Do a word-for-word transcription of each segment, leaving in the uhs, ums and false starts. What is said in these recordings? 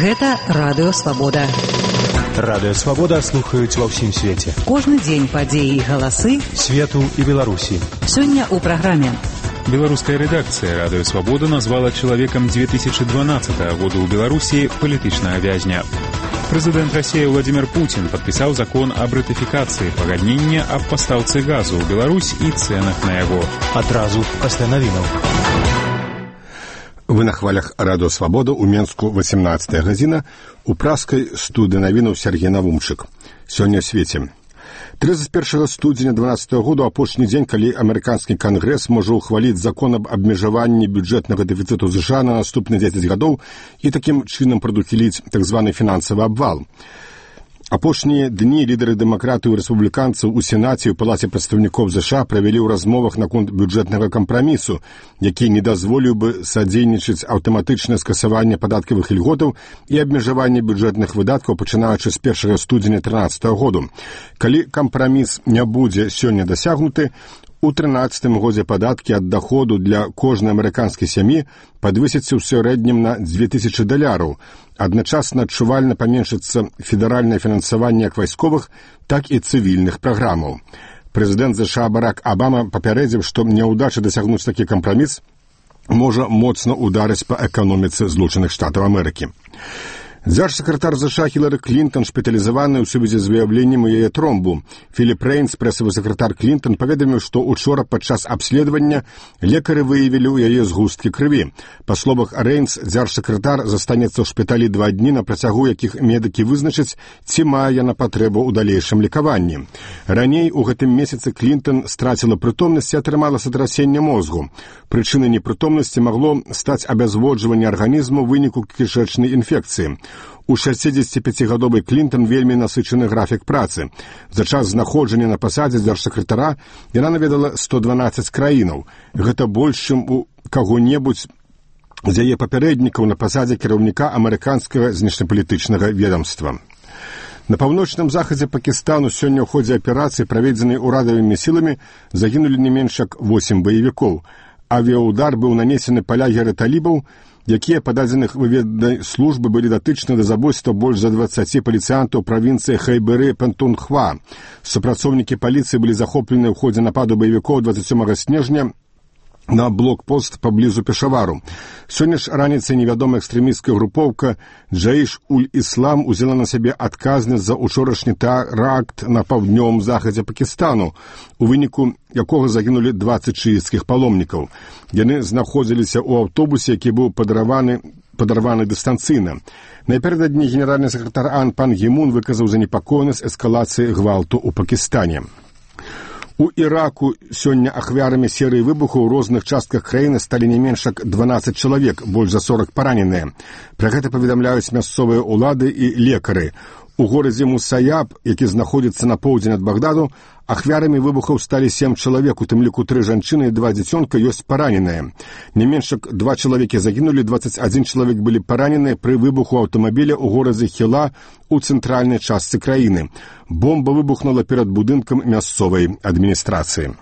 Гэта Радыё Свабода. Радыё Свабода слухаюць ва ўсім свеце. Кожны дзень падзеі і галасы свету і Беларусі. Сёння ў праграме. Беларуская рэдакцыя Радыё Свабода назвала чалавекам две тысячи дванадцатого года ў Беларусі палітычнага вязня. Прэзідэнт Расіі Владимир Путин падпісаў закон аб ратыфікацыі пагаднення аб пастаўцы газу ў Беларусь і цэнах на яго. Адразу пасля навінаў. Вы на хвалях Радыё Свабода ў Менску восемнадцатая гадзіна, у праскай студыі навінаў Сергей Навумчык. Сёння ў свеце. тридцать первого студзеня дванадцатого года, апошні дзень, калі амерыканскі кангрэс можа ўхваліць закон аб абмежаванні бюджэтнага дэфіцыту США на наступныя дзесяць гадоў і такім чынам прадухіліць так званы фінансавы абвал. Апошнія дні лідары дэмакратаў і рэспубліканцаў у Сенаце і ў Палаце прадстаўнікоў США правялі ў размовах наконт бюджэтнага кампрамісу, які не дазволіў бы садзейнічаць аўтаматычнае скасаванне падаткавых ільготаў і абмежаванне бюджэтных выдаткаў, пачынаючы з першага студзеня трынаццатага году. Калі кампраміс не будзе сёння дасягнуты, у трынаццатым годзе падаткі ад даходу для кожнай амерыканскай сям'і падвысяцца ў сярэднім на дзве тысячы даляраў. Адначасна адчувальна паменшыцца федэральнае фінансаванне як вайсковых, так і цывільных праграмаў. Прэзідэнт США Барак Абама папярэдзіў, што няўдача дасягнуць такі кампраміс можа моцна ударыць па эканоміцы Злучаных Штатаў Амерыкі. Дзяржсакратар США Хілары Клінтон шпіталізаваны ў сувязі з выяўленнем у яе тромбу. Філіп Рэйнс, прэсавы сакратар Клінтон, паведаміў, што учора падчас абследавання лекары выявілі ў яе згусткі крыві. Па словах Рэйнс, дзяржсакратар застанецца ў шпіталі два дні, на працягу якіх медыкі вызначаць, ці мае яна патрэбу ў далейшым лекаванні. Раней у гэтым месяцы Клінтон страціла прытомнасць і атрымала сатрасенне мозгу. Прычынай непрытомнасці магло стаць абязводжванне арганізму ў выніку кішэчнай інфекцыі. У шэсцідзесяціпяцігадовай Клінтон вельмі насычаны графік працы. За час знаходжання на пасадзе дзяржсакратара яна наведала сто дванаццаць краінаў. Гэта больш, чым у каго-небудзь з яе папярэднікаў на пасадзе кіраўніка амерыканскага знешнепалітычнага ведамства. На паўночным захадзе Пакістану сёння ў ходзе аперацыі, праведзенай урадавымі сіламі, загінулі не менш як восем баевікоў. Авіяудар быў нанесены па лагеры талібаў, якія, па дадзеных выведнай службы, былі датычны да забойства больш за дваццаці паліцыянтаў правінцыі Хайберы-Пэнтунхва. Супрацоўнікі паліцыі былі захоплены ў ходзе нападу баевікоў дваццаць сёмага снежня на блокпост паблізу Пешавару. Сёння ж раніцай невядомая экстрэмісцкая групоўка Джаіш-уль-Іслам узяла на сябе адказнасць за учорашні тэракт на паўднёвым захадзе Пакістану, у выніку якога загінулі дваццаць шыіцкіх паломнікаў. Яны знаходзіліся ў аўтобусе, які быў падарваны падарваны дыстанцыйна. Напярэдадні генеральны сакратар АН пан Гі-мун выказаў занепакоенасць эскалацыі гвалту ў Пакістане. У Іраку сёння ахвярамі серыі выбухаў у розных частках краіны сталі не менш як дванаццаць чалавек, больш за сорок параненыя. Пра гэта паведамляюць мясцовыя ўлады і лекары. У горадзе Мусаяб, які знаходзіцца на поўдзень ад Багдаду, ахвярамі выбухаў сталі сем чалавек, у тым ліку тры жанчыны і два дзіцёнка ёсць параненыя. Не менш як два чалавекі загінулі, дваццаць адзін чалавек былі параненыя пры выбуху аўтамабіля ў горадзе Хіла у цэнтральнай частцы краіны. Бомба выбухнула перад будынкам мясцовай адміністрацыі.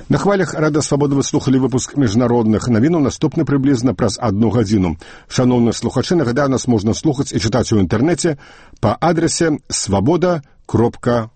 На хвалях Радыё Свабода вы слухалі выпуск міжнародных навінаў, наступны прыблізна праз адну гадзіну. Шаноўныя слухачы, нагадаю, нас можна слухаць і чытаць у інтэрнэце па адрасе свабода кропка